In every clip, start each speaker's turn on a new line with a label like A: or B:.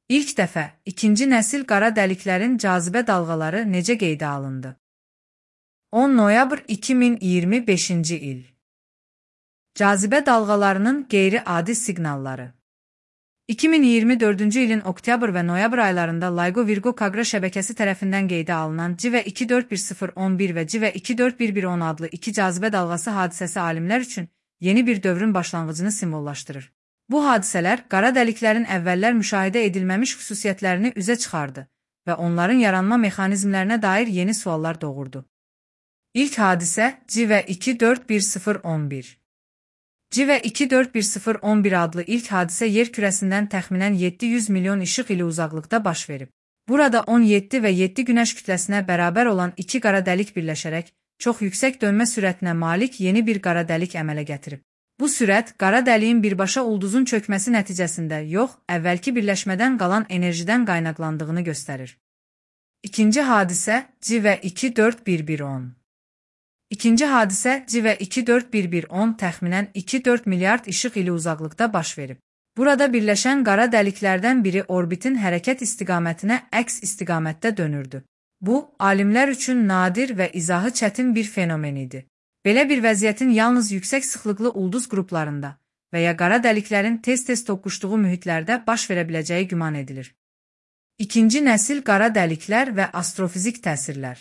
A: İlk dəfə ikinci nəsil qara dəliklərin cazibə dalğaları necə qeydə alındı? 10 noyabr 2025-ci il. Cazibə dalğalarının qeyri-adi siqnalları. 2024-cü ilin oktyabr və noyabr aylarında LIGO Virgo Kagra şəbəkəsi tərəfindən qeydə alınan CİVE 241011 və CİVE 241110 adlı iki cazibə dalğası hadisəsi alimlər üçün yeni bir dövrün başlanğıcını simvollaşdırır. Bu hadisələr qara dəliklərin əvvəllər müşahidə edilməmiş xüsusiyyətlərini üzə çıxardı və onların yaranma mexanizmlərinə dair yeni suallar doğurdu. İlk hadisə CİVE 241011. CİVE 241011 adlı ilk hadisə yer kürəsindən təxminən 700 milyon işıq ili uzaqlıqda baş verib. Burada 17 və 7 günəş kütləsinə bərabər olan iki qara dəlik birləşərək çox yüksək dönmə sürətinə malik yeni bir qara dəlik əmələ gətirib. Bu sürət qara dəliyin birbaşa ulduzun çökməsi nəticəsində yox, əvvəlki birləşmədən qalan enerjidən qaynaqlandığını göstərir. İkinci hadisə CİVE 241110. İkinci hadisə CİVE 241110 təxminən 2-4 milyard işıq ili uzaqlıqda baş verib. Burada birləşən qara dəliklərdən biri orbitin hərəkət istiqamətinə əks istiqamətdə dönürdü. Bu, alimlər üçün nadir və izahı çətin bir fenomen idi. Belə bir vəziyyətin yalnız yüksək sıxlıqlı ulduz qruplarında və ya qara dəliklərin tez-tez toqquşduğu mühitlərdə baş verə biləcəyi güman edilir. İkinci nəsil qara dəliklər və astrofizik təsirlər.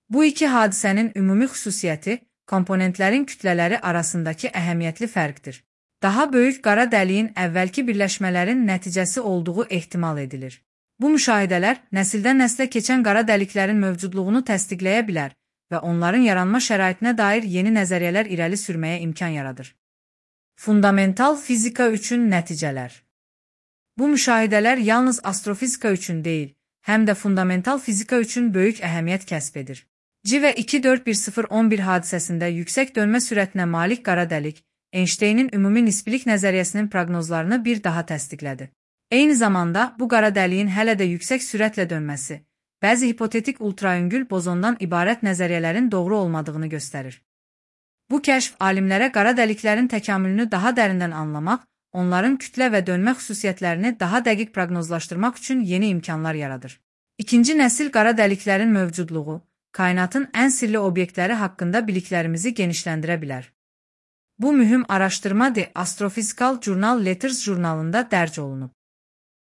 A: Bu iki hadisənin ümumi xüsusiyyəti komponentlərin kütlələri arasındakı əhəmiyyətli fərqdir. Daha böyük qara dəliyin əvvəlki birləşmələrin nəticəsi olduğu ehtimal edilir. Bu müşahidələr nəsildən nəslə keçən qara dəliklərin mövcudluğunu təsdiqləyə bilər və onların yaranma şəraitinə dair yeni nəzəriyyələr irəli sürməyə imkan yaradır. Fundamental fizika üçün nəticələr. Bu müşahidələr yalnız astrofizika üçün deyil, həm də fundamental fizika üçün böyük əhəmiyyət kəsb edir. CİVE 241011 hadisəsində yüksək dönmə sürətinə malik qara dəlik, Einsteynin ümumi nisbilik nəzəriyyəsinin proqnozlarını bir daha təsdiqlədi. Eyni zamanda bu qara dəliyin hələ də yüksək sürətlə dönməsi, bəzi hipotetik ultraüngül bozondan ibarət nəzəriyyələrin doğru olmadığını göstərir. Bu kəşf alimlərə qara dəliklərin təkamülünü daha dərindən anlamaq, onların kütlə və dönmə xüsusiyyətlərini daha dəqiq proqnozlaşdırmaq üçün yeni imkanlar yaradır. İkinci nəsil qara dəliklərin mövcudluğu, kainatın ən sirli obyektləri haqqında biliklərimizi genişləndirə bilər. Bu mühüm araşdırma The Astrophysical Journal Letters jurnalında dərc olunub.